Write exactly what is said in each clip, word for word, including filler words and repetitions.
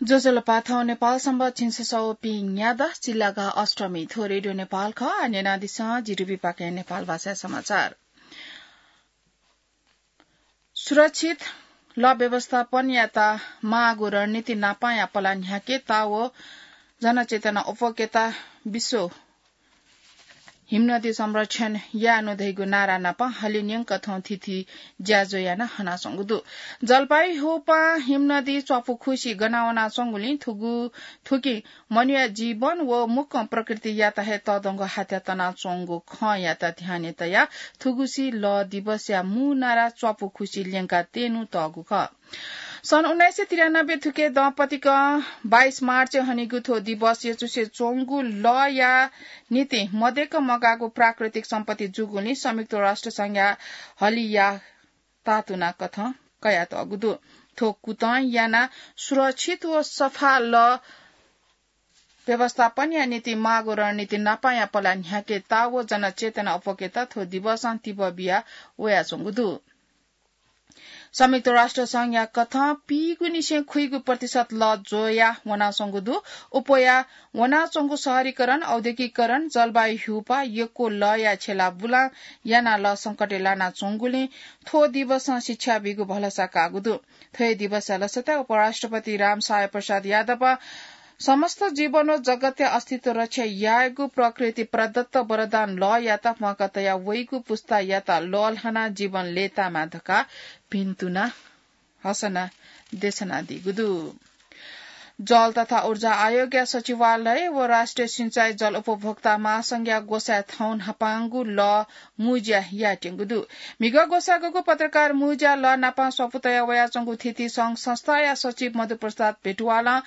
ज्वजलपा, थौं नेपाल संवत् झिंछसः व पीन्यादँ, चिल्लागा अष्टमी। थ्व रेडियो नेपाल खः। आः न्यनादिसँ, जिरुबी पाखें नेपाल भाषा समाचार। सुरक्षित लः व्यवस्थापनयात माःगु रणनीति नापांया पला न्ह्याकेत व जनचेतना अप्वकेत विश्व हिमनदी संरक्षण यायेनु धइगु नारा नाप हलिं न्यंक थौं थीथी ज्याझ्वः याना हनाच्वंगु दु। जलपाइगुड़ी ह्यूपां हिमनदी च्वापु खुसि गना वनाच्वंगुलिं थुगु, थुकिं मनूया जीवन व मुक्कं प्रकृतियात हे तःधंगु हाथ्या तनाच्वंगु खँयात ध्याने तयाः थुगुसी लः दिवसया मू नारा च्वापु खुसि ल्यंका त्यनु तःगु खः। सन् उन्नाइस सय त्रियानब्बे थुके दँपतिकं बाइस मार्च हनीगु थ्व दिवस यचुसे च्वंगु लःया निंतिं मदय्क मगाःगु प्राकृतिक सम्पत्ति जूगुलिं संयुक्त राष्ट्र संघया हलिया तातुना कथं कयातःगु दु। थ्व कुतं याना सुरक्षित व सफा लः व्यवस्थापनया निंतिं माःगु रणनीति नापांया पला न्ह्याकेत व जनचेतना अप्वकेत थ्व दिवसं तिबः बिया वयाच्वंगु दु। संयुक्त राष्ट्र संघया कथं पीगुनिसें खुइगु प्रतिशत लः ज्वया वनाच्वंगु दु। अप्वया वनाच्वंगु शहरीकरण, औद्योगिकीकरण, जलवायु ह्यूपाः, यक्व लःया छेला बुलां यानाः लः संकटय् लानाच्वंगुलिं थ्व दिवसं शिक्षा बीगु भलसा काःगु दु। थ्व हे दिवसया लसताय् उपराष्ट्रपति रामसाय प्रसाद यादवं समस्त जीवन व जगतया अस्तित्व रक्षा यायेगु प्रकृति प्रदत्त वरदान लःयात म्वाका तया वइगु पुस्तायात लःल्हानाः जीवन लय्तायेमा धकाः भिन्तुना हसना देछानादीगु दु। जल तथा ऊर्जा आयोगया सचिवालय व राष्ट्रिय सिँचाइ जल उपभोक्ता महासंघया ग्वसाय् थौं न्हापांगु लः मुँज्या यायेत्यंगु दु। म्हिगः ग्वसाःगु पत्रकार मुँज्या लः नापां स्वापू तया वयाच्वंगु थीथी संघ संस्थाया सचिव मधुप्रसाद भेटुवालं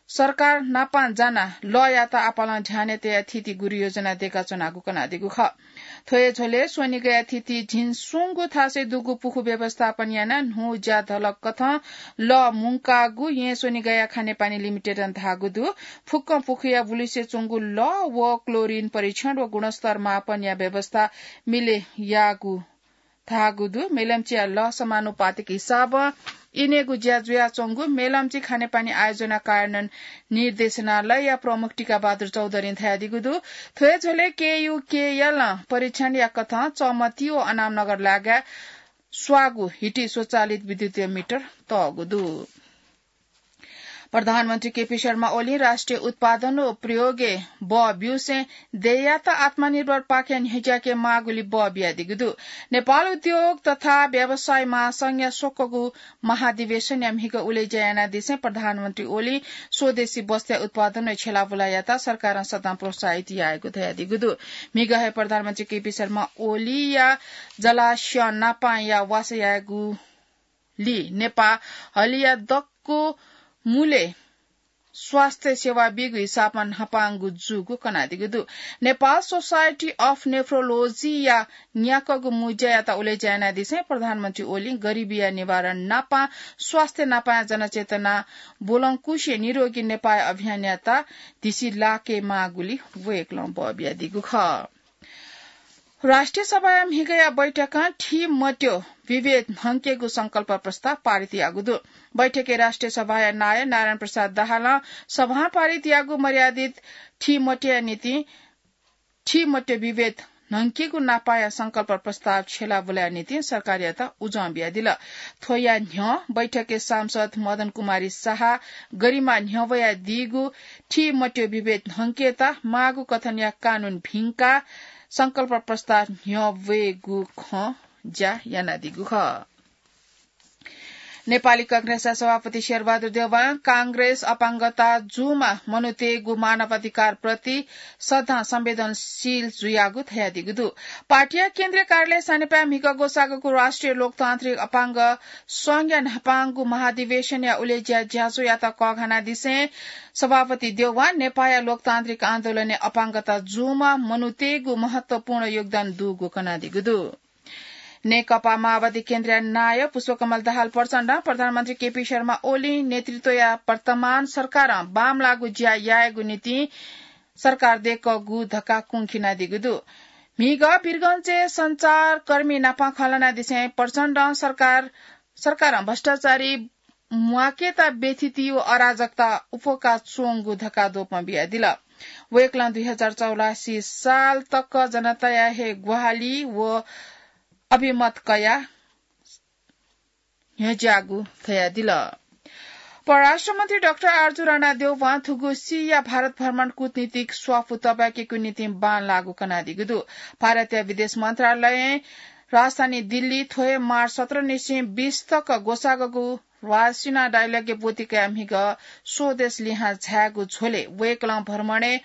सरकार नापां जानाः लःयात आपालं ध्यानय् तयाः थीथी गुरुयोजना दय्काच्वनागु कनादीगु खः। थ्व हे झ्वलय् स्वनिगःया थीथी झिंस्वंगू थासय् दुगु पुखू व्यवस्थापन यानाः न्हू ज्याधलक कथं लः मुंकागु येँ स्वनिगःया खानेपानी लिमिटेडं धाःगु दु। फुक्कं पुखूया बुलुसे च्वंगु लः व क्लोरिन परीक्षण व गुणस्तर मापनया व्यवस्था मिले याःगु धाःगु दु। मेलम्चीया लः समानुपातिक हिसाबं इनेगु ज्या जुयाच्वंगु मेलम्ची खानेपानी आयोजना कार्यान्वयन निर्देशनालयया प्रमुख टीकाबहादुर चौधरीं धयादीगु दु। थ्व हे झ्वलय् केयूकेएलं परीक्षणया कथं चमती व अनामनगर लागाय् स्वाःगु हिटी स्वचालित विद्युतीय मिटर तःगु दु। प्रधानमन्त्री केपी शर्मा ओलीं राष्ट्रिय उत्पादन व प्रयोगय् बः ब्यूसें देय्‌यात आत्मनिर्भर पाखें न्ह्यज्याके माःगुलिइ बः बियादीगु दु। नेपाल उद्योग तथा व्यवसाय महासंघया स्वक्वःगु महाधिवेशनया म्हिगः उलेज्या यानादिसें प्रधानमन्त्री ओलीं स्वदेशी वस्तुया उत्पादन व छेलाबुलायात सरकारं सदां प्रोत्साहित यायेगु धयादीगु दु। म्हिगः हे प्रधानमन्त्री केपी शर्मा ओलीया जलास्यं नापांया वासः यायेगु लि नेपाः हलिया दक्व मुलय् स्वास्थ्य सेवा बीगु हिसाबं न्हापांगु जूगु कनादीगु दु। नेपाल सोसाइटी अफ नेफ्रोलोजीया न्याक्वःगु मुँज्यायात उलेज्या यानादिसें प्रधानमन्त्री ओलीं गरिबीया निवारण नापां स्वास्थ्य नापांया जनचेतना ब्वलंकुसे निरोगी नेपाः अभियानयात धिसि लाके माःगुलिइ वय्‌कलं बः बियादीगु खः। राष्ट्रिय सभाया म्हिगःया बैठकं थीमत्यः विभेद न्हंकेगु संकल्प प्रस्ताव पारित याःगु दु। बैठकय् राष्ट्रिय सभाया नायः नारायण प्रसाद दाहालं सभां पारित याःगु मर्यादित थीमत्यःया निंतिं थीमत्यः विभेद न्हंकेगु नापांया संकल्प प्रस्ताव छेलाबुलाया निंतिं सरकारयात उजं बियादिल। थ्वया न्ह्यः बैठकय् सांसद मदन कुमारी साहा गरिमा न्ह्यब्वयादीगु थीमत्यः विभेद न्हंकेत माःगु कथनया कानून भिंकाः संकल्प प्रस्ताव न्ह्यब्वयेगु खँ ज्या यानादीगु खः। नेपाली कांग्रेसया सभापति शेरबहादुर देउवां कांग्रेस अपाङ्गता जूम्ह मनूतय्‌गु मानवाधिकारप्रति सदां संवेदनशील जुयागु धयादीगु दु। पार्टीया केन्द्रीय कार्यालय सानेपाय् म्हिगः ग्वसाःगु राष्ट्रिय लोकतान्त्रिक अपाङ्ग संघया न्हापांगु महाधिवेशनया उलेज्या ज्याझ्वःयात कःघानादिसें सभापति देउवां नेपाःया लोकतान्त्रिक आन्दोलनय् अपाङ्गता जूम्ह मनूतय्‌गु महत्वपूर्ण योगदान दुगु कनादीगु दु। नेकपा माओवादी केन्द्रया नायः पुष्पकमल दाहाल प्रचण्डं प्रधानमन्त्री केपी शर्मा ओलीं नेतृत्वया वर्तमान सरकारं बांमलाःगु ज्या यायेगु निंतिं सरकार दय्‌कूगु धकाः कुंखिनादीगु दु। म्हिगः वीरगंजय् सञ्चारकर्मी नाप खँल्हानादिसें प्रचण्डं सरकार, सरकारं भ्रष्टाचारी म्वाकेता बेथिति व अराजकता उफोका च्वंगु धकाः द्वपं बियादिल। वय्कलं दुई हजार चौरासी साल तक जनताया हे ग्वाहालि व अभिमत कया न्ह्यज्याःगु धयादिल। परराष्ट्र मन्त्री डाक्टर आरजु राणादेवं थुगु सीया भारत भ्रमण कूटनीतिक स्वापू तबाकेगु निंतिं बांलाःगु कनादीगु दु। भारतीय विदेश मन्त्रालयं राजधानी दिल्ली थ्व हे मार्च सत्र निसें बीस तक ग्वसाःगु वासिना डायलगय् ब्वति कयाः म्हिगः स्वदेश लिहां झायेगु झ्वलय् वय्कलं भ्रमणय्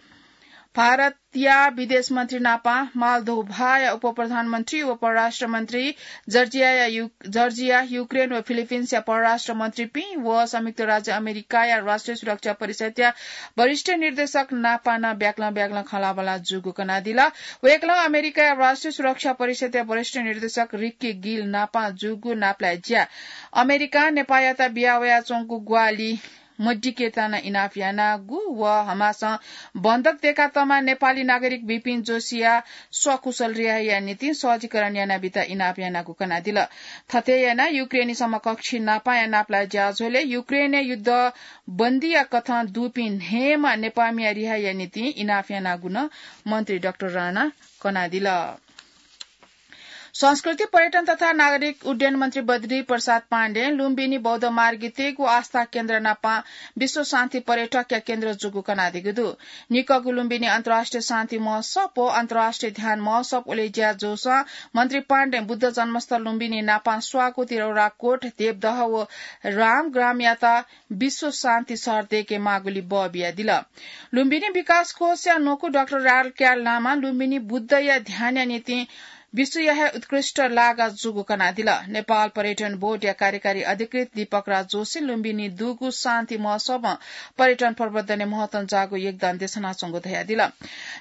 भारतया विदेश मन्त्री नापं मालदोभाया उपप्रधानमन्त्री व परराष्ट्र मन्त्री, जर्जियाया यु-, जर्जिया, युक्रेन व फिलिपिन्सया परराष्ट्र मन्त्रीपिं व संयुक्त राज्य अमेरिकाया राष्ट्रिय सुरक्षा परिषदया वरिष्ठ निर्देशक नापं नं ब्याक्लं ब्याक्लं खँल्हाबल्हा जूगु कनादिल। वय्कलं अमेरिकाया राष्ट्रिय सुरक्षा परिषदया वरिष्ठ निर्देशक रिक्की गिल नापं जूगु नापलाये ज्या अमेरिकां नेपाःयात बिया वयाच्वंगु ग्वाहालि मदिकेत नं इनाप यानागु व हमासं बन्धक दय्कातःम्ह नेपाली नागरिक बिपिन जोशीया सकुशल रिहाईया निंतिं सहजीकरण यानाबीत इनाप यानागु कनादिल। थथे यानाः युक्रेनी समकक्षी नापंया नापलाये ज्याझ्वलय् युक्रेनय् युद्ध बन्दीया कथं दुपिं न्हय्म्ह नेपाःमिया रिहाईया निंतिं इनाप यानागु नं मन्त्री डाक्टर राणां कनादिल। संस्कृति, पर्यटन तथा नागरिक उड्डयन मन्त्री बद्री प्रसाद पाण्डें लुम्बिनी बौद्ध मार्गीतय्गु आस्था केन्द्र नापं विश्व शान्ति पर्यटकया केन्द्र जूगु कनादीगु दु। निकःगु लुम्बिनी अन्तर्राष्ट्रिय शान्ति महोत्सव व अन्तर्राष्ट्रिय ध्यान महोत्सव उलेज्या जूसां मन्त्री पाण्डें बुद्ध जन्मस्थल लुम्बिनी नापं स्वाकू, तिरौराकोट, देवदह व रामग्रामयात विश्व शान्ति शहर दय्के माःगुलिं बः बियादिल। लुम्बिनी विकास कोषया न्वकू डाक्टर रालक्याल लामां लुम्बिनी बुद्धया ध्यानया निंतिं विश्वया हे उत्कृष्ट लागा जूगु कनादिल। नेपाल पर्यटन बोर्डया कार्यकारी अधिकृत दीपक राज जोशीं लुम्बिनी दुगु शान्ति महोत्सवं पर्यटन प्रवर्धनय् महत्वं जाःगु योगदान देछानाच्वंगु धयादिल।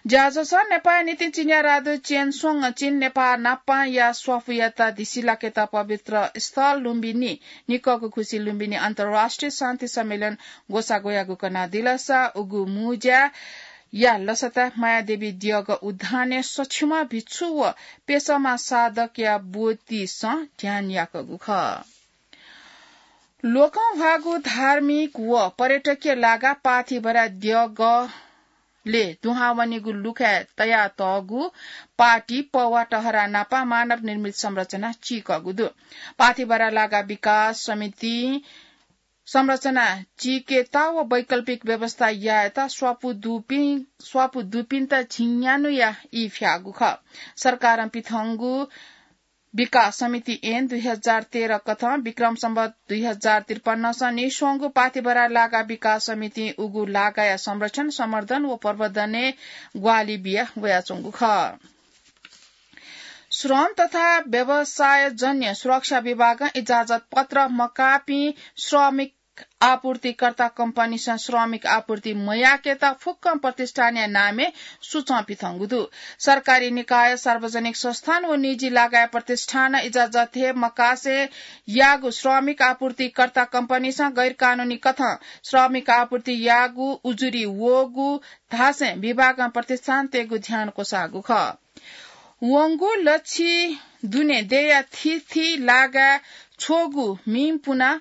ज्याझ्वलय् नेपाःया निंतिं चिनियाँ राजदूत चेन स्वंगं चीन नेपाः नापंया स्वापूयात धिसिलाकेत पवित्र स्थल लुम्बिनी निकःगु खुसिइ लुम्बिनी अन्तर्राष्ट्रिय शान्ति सम्मेलन ग्वसाः ग्वयागु कनादिलसा उगु मुँज्याया लसता मायादेवी द्यःगः उद्यानय् सछिमा भिक्षु व पेसमा साधकया ब्वतिसं ध्यान याकूगु खः। लोकंह्वाःगु धार्मिक व पर्यटकीय लागा पाथिभरा द्यःगः ले दुहां वनीगु लुखाय् तयातःगु पाटी पौवा टहरा नापं मानव निर्मित संरचना चीकःगु दु। पाथिभरा लागा विकास समितिं संरचना चीकेत व वैकल्पिक व्यवस्था यायेत स्वापू दुपिं, स्वापू दुपिन्त झिंन्यान्हुया ई फ्याःगु खः। सरकारं पिथंगु विकास समिति ऐन दुई हजार तेह्र कथं विक्रम सम्वत दुई हजार त्रिपन्नसं नीस्वंगू पाथिभरा लागा विकास समितिं उगु लागाया संरक्षण, संवर्धन व प्रवर्धनय् ग्वाहालि बिया वयाच्वंगु खः। श्रम तथा व्यवसायजन्य सुरक्षा विभागं इजाजत पत्र मकाःपिं श्रमिक आपूर्तिकर्ता कम्पनीसं श्रमिक आपूर्ति मयाकेत फुक्कं प्रतिष्ठानया नामय् सुचं पिथंगु दु। सरकारी निकाय, सार्वजनिक संस्थान व निजी लागाया प्रतिष्ठानं इजाजत हे मकासे याःगु श्रमिक आपूर्तिकर्ता कम्पनीसं गैरकानूनी कथं श्रमिक आपूर्ति याःगु उजुरी वःगु धासें विभागं प्रतिष्ठानतय्गु ध्यान क्वसाःगु खः। वंगु लच्छि दुने देय्या थीथी लागाय् छ्वःगु म्हिं पुनाः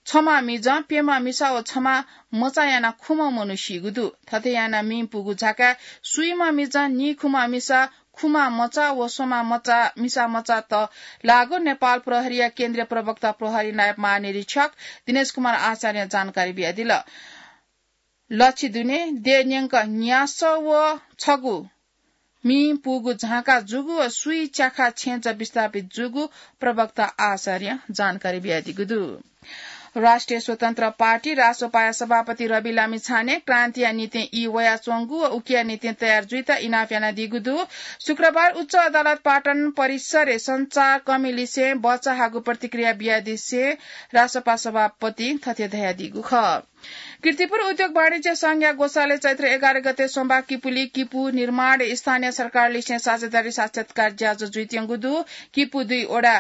छम्ह मिजं, प्यम्ह मिसा व छम्ह मचा यानाः खुम्ह मनू सीगु दु। थथे यानाः म्हिं पुगु झाकाय् स्वीम्ह मिजं, नीखुम्ह मिसा, खुम्ह मचा व स्वम्ह मचा, मिसा मचात लाःगु नेपाल प्रहरीया केन्द्रीय प्रवक्ता प्रहरी नायब महानिरीक्षक दिनेश कुमार आचार्यं जानकारी बियादिल। लच्छि दुने देय् न्यंक न्यासः व छगू म्हिं पुगु झांका जूगु व स्वीच्याखा छेँजः विस्थापित जूगु प्रवक्ता आचार्यं जानकारी बियादीगु दु। राष्ट्रिय स्वतन्त्र पार्टी रासोपाया सभापति रवि लामिछाने क्रान्तिया निंतिं ई वयाच्वंगु व उकिया निंतिं तयार जुइत इनाप यानादीगु दु। शुक्रबार उच्च अदालत पाटन परिसरय् सञ्चारकर्मीलिसें बचाहाःगु प्रतिक्रिया बियादिसें रासोपा सभापतिं थथे धयादीगु खः। कीर्तिपुर उद्योग वाणिज्य संघया ग्वसालय् चैत्र एघार गते सोमबार किपुली किपु निर्माण स्थानीय सरकारलिसें साझेदारी साक्षात्कार ज्याझ्वः जुइत्यंगु दु। किपु दुई वडा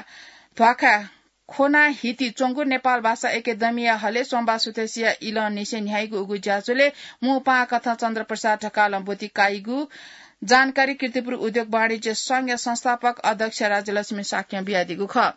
ध्वाखा खोना हिति च्वंगु नेपाल भाषा एकेडेमीया हलय् सोमबार सुथसिया इलंनिसें न्ह्याइगु उगु ज्याझ्वलय् मू पाहां कथं चन्द्रप्रसाद ढकालं ब्वति काइगु जानकारी कीर्तिपुर उद्योग वाणिज्य संघया संस्थापक अध्यक्ष राज्यलक्ष्मी शाक्यं बियादीगु खः।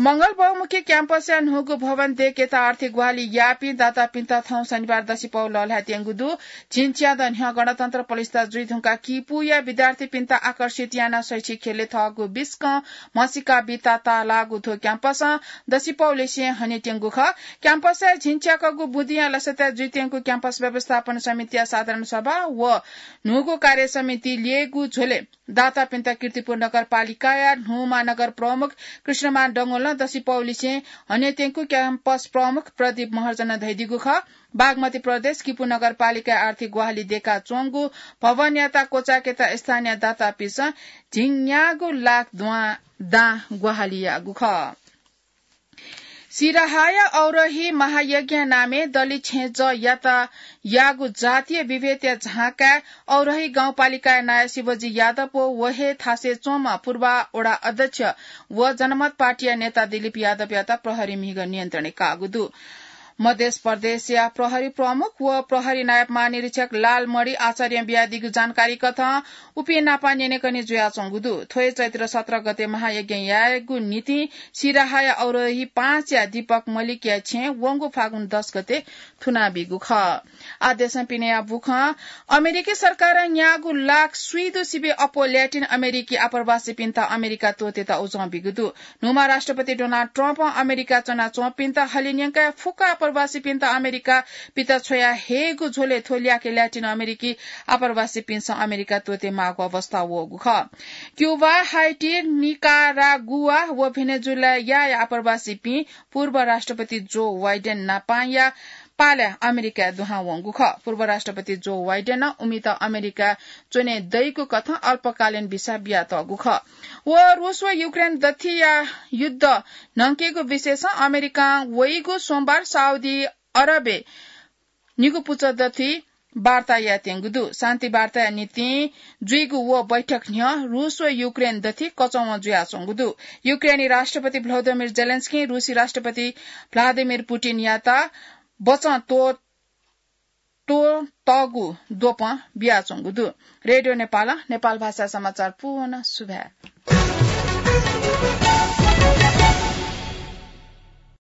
मंगल बहुमुखी क्याम्पसया न्हूगु भवन देकेत आर्थिक ग्वाहालि याःपिं दातापिन्त थौं शनिबार दसिपौ लःल्हायेत्यंगु दु। झिंच्यादँ न्ह्यः गणतन्त्र प्रतिष्ठा जुइधुंकाः किपूया विद्यार्थीपिन्त आकर्षित यानाः शैक्षिक ख्यलय् थःगु बिस्कं म्हसीका बिता ताःलाःगु थ्व क्याम्पसं दसिपौलिसें हनेत्यंगु खः। क्याम्पसय् झिंच्याकःगु बुँदिया लसताय् जुइत्यंगु क्याम्पस व्यवस्थापन समितिया साधारण सभा व न्हूगु कार्य समिति ल्ययेगु झ्वलय् दातापिन्त कीर्तिपुर नगरपालिकाया न्हूमा नगर प्रमुख कृष्णमान डंगोलं दसिपौलिसें हनेत्यंगु क्याम्पस प्रमुख प्रदीप महर्जनं धयादीगु खः। बागमती प्रदेश किपू नगरपालिकाया आर्थिक ग्वाहालि देकाच्वंगु भवनयात क्वचायेकेत स्थानीय दातापिन्सं झिंन्यागू लाख द्वां दां ग्वाहालि याःगु खः। सिराहाया औरही महायज्ञ नामय् दलि छेँजःयात याःगु जातीय विभेदया झाँकाय् औरही गाउँपालिकाया नायः शिवजी यादव व वहे थासय् च्वंम्ह पूर्वा वडा अध्यक्ष व जनमत पार्टीया नेता दिलीप यादवयात प्रहरी म्हिगः नियन्त्रणय् काःगु दु। मध्य प्रदेशया प्रहरी प्रमुख व प्रहरी नायब महानिरीक्षक लालमणि आचार्यं बियादीगु जानकारी कथं उपिं नाप न्यनेकने जुयाच्वंगु दु। थ्व हे चैत्र सत्र गते महायज्ञ यायेगु निंतिं सिराहाया औरही पाँचया दीपक मल्लिकया छेँय् वंगु फागुन दस गते थुनाबीगु खः। आः देशं पिनेया बुखँ। अमेरिकी सरकारं न्यागू लाख स्वीदु सिबें अप्वः ल्याटिन अमेरिकी आप्रवासीपिन्त अमेरिका त्वःतेत उजं बीगु दु। न्हूम्ह राष्ट्रपति डोनाल्ड ट्रम्पं अमेरिका च्वनाच्वंपिन्त हलिं न्यंकाः फुक्क आप्रवासीपिन्त अमेरिका पित छ्वया हयेगु झ्वलय् थ्व ल्याखय् ल्याटिन अमेरिकी आप्रवासीपिन्सं अमेरिका त्वःते माःगु अवस्था वःगु खः। क्युबा, हाइटी, निकारागुआ व भेनेजुएलाया आप्रवासीपिं पूर्व राष्ट्रपति जो बाइडेन नापांया पालय् अमेरिकाय् दुहां वंगु खः। पूर्व राष्ट्रपति जो बाइडेनं उमित अमेरिका च्वने दइगु कथं अल्पकालीन भिसा बियातःगु खः। व रूस व युक्रेन दथिया युद्ध न्हंकेगु विषयसं अमेरिकां वइगु सोमबार साउदी अरबय् निगू पुचः दथुइ वार्ता यायेत्यंगु दु। शान्ति वार्ताया निंतिं जुइगु व बैठक न्ह्यः रूस व युक्रेन दथुइ कचंवं जुयाच्वंगु दु। युक्रेनी राष्ट्रपति भ्लोदिमिर जेलेन्स्कीं रूसी राष्ट्रपति भ्लादिमिर पुटिनयात बचं त्व-, त्वःतःगु द्वपं बियाच्वंगु दु। रेडियो नेपालं नेपाल भाषा समाचार पूवं सुभाय्।